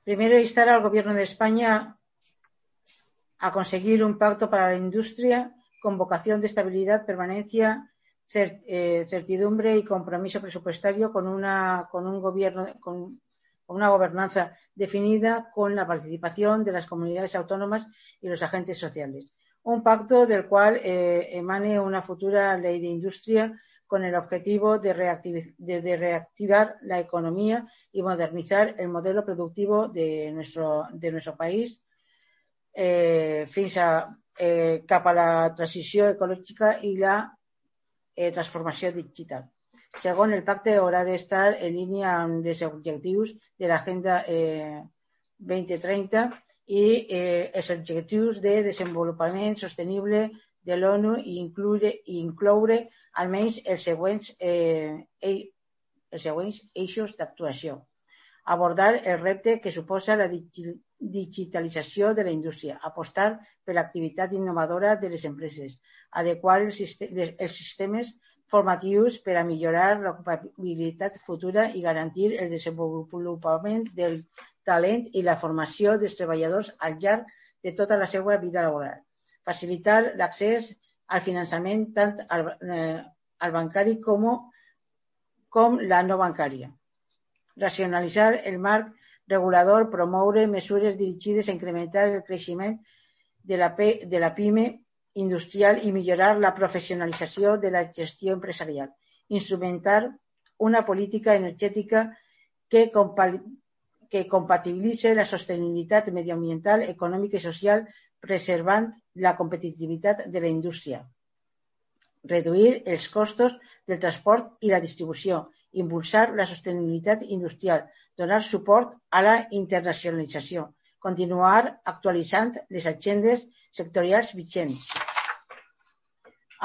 Primero, instar al Gobierno de España a conseguir un pacto para la industria con vocación de estabilidad, permanencia, certidumbre y compromiso presupuestario con una gobernanza definida con la participación de las comunidades autónomas y los agentes sociales. Un pacto del cual emane una futura ley de industria con el objetivo de reactivar la economía y modernizar el modelo productivo de nuestro país fins cap a la transició ecològica i la transformació digital. Segon, el pacte haurà d'estar en línia amb els objectius de l'Agenda 2030 i els objectius de desenvolupament sostenible de l'ONU i incloure almenys els següents eixos d'actuació. Abordar el repte que suposa la digitalització de la indústria, apostar per l'activitat innovadora de les empreses, adequar els sistemes formatius per a millorar l'ocupabilitat futura i garantir el desenvolupament del talent i la formació dels treballadors al llarg de tota la seva vida laboral. Facilitar l'accés al finançament tant al bancari com la no bancària. Racionalitzar el marc regulador, promoure mesures dirigides a incrementar el creixement de la PIME industrial i millorar la professionalització de la gestió empresarial. Instrumentar una política energètica que compatibilitzi la sostenibilitat medioambiental, econòmica i social, preservant la competitivitat de la indústria. Reduir els costos del transport i la distribució. Impulsar la sostenibilitat industrial, donar suport a la internacionalització, continuar actualitzant les agendes sectorials vigents,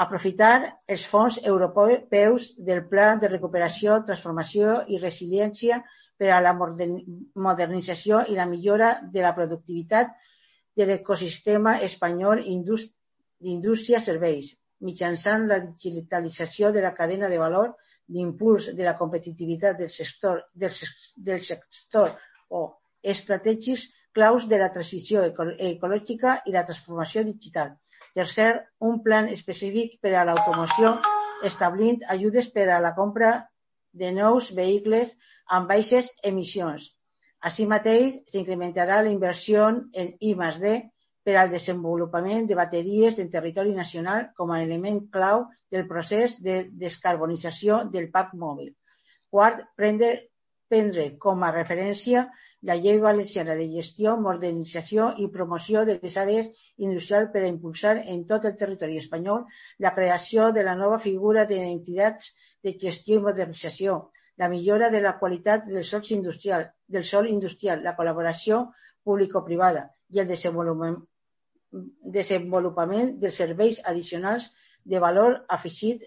aprofitar els fons europeus del Pla de Recuperació, Transformació i Resiliència per a la modernització i la millora de la productivitat de l'ecosistema espanyol d'indústria-serveis, mitjançant la digitalització de la cadena de valor, l'impuls de la competitivitat del sector o estratègics claus de la transició ecològica i la transformació digital. Tercer, un plan específic per a l'automoció establint ajudes per a la compra de nous vehicles amb baixes emissions. Així mateix, s'incrementarà la inversió en I+D per al desenvolupament de bateries en territori nacional com a element clau del procés de descarbonització del parc mòbil. Quart, prendre com a referència la Llei Valenciana de Gestió, Modernització i Promoció de les Àrees Industrials per a impulsar en tot el territori espanyol la creació de la nova figura d'entitats de gestió i modernització, la millora de la qualitat del sòl industrial, la col·laboració público-privada i el desenvolupament dels serveis addicionals de valor afegit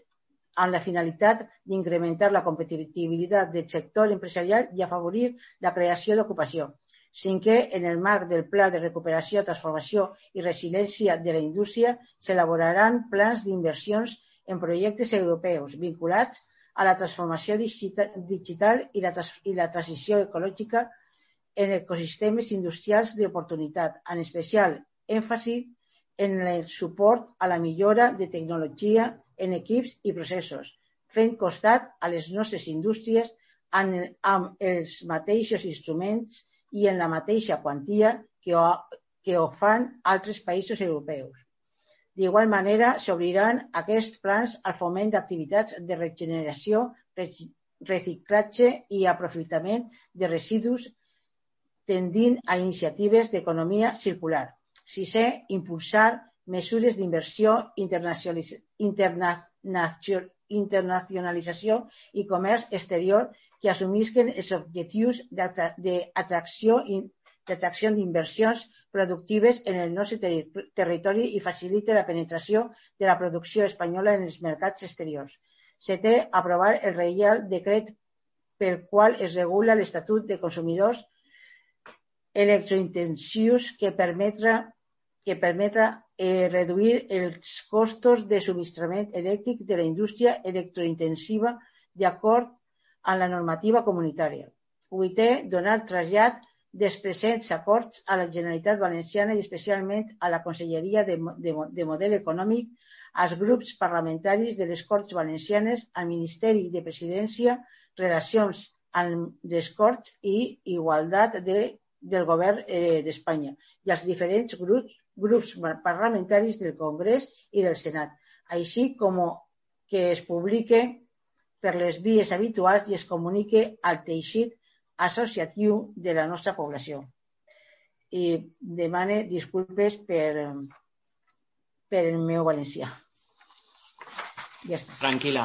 amb la finalitat d'incrementar la competitivitat del sector empresarial i afavorir la creació d'ocupació. Cinquè, en el marc del Pla de Recuperació, Transformació i Resiliència de la Indústria, s'elaboraran plans d'inversions en projectes europeus vinculats a la transformació digital i la transició ecològica en ecosistemes industrials d'oportunitat, en especial èmfasi en el suport a la millora de tecnologia en equips i processos, fent costat a les nostres indústries amb els mateixos instruments i en la mateixa quantia que ho fan altres països europeus. D'igual manera, s'obriran aquests plans al foment d'activitats de regeneració, reciclatge i aprofitament de residus, tendint a iniciatives d'economia circular. Sisè, impulsar mesures d'inversió, internacionalització i comerç exterior que assumisquen els objectius d'atracció d'inversions productives en el nostre territori i facilite la penetració de la producció espanyola en els mercats exteriors. Setè, aprovar el Reial Decret pel qual es regula l'Estatut de Consumidors electrointensius que permetrà reduir els costos de subministrament elèctric de la indústria electrointensiva d'acord amb la normativa comunitària. Vuitè, donar trasllat dels presents acords a la Generalitat Valenciana i especialment a la Conselleria de Model Econòmic, als grups parlamentaris de les Corts Valencianes, al Ministeri de Presidència, Relacions amb les Corts i Igualtat del Govern d'Espanya i als diferents grups parlamentaris del Congrés i del Senat, així com que es publique per les vies habituals i es comunique al teixit associatiu de la nostra població. I demane disculpes per el meu valencià. Ja està. Tranquil·la.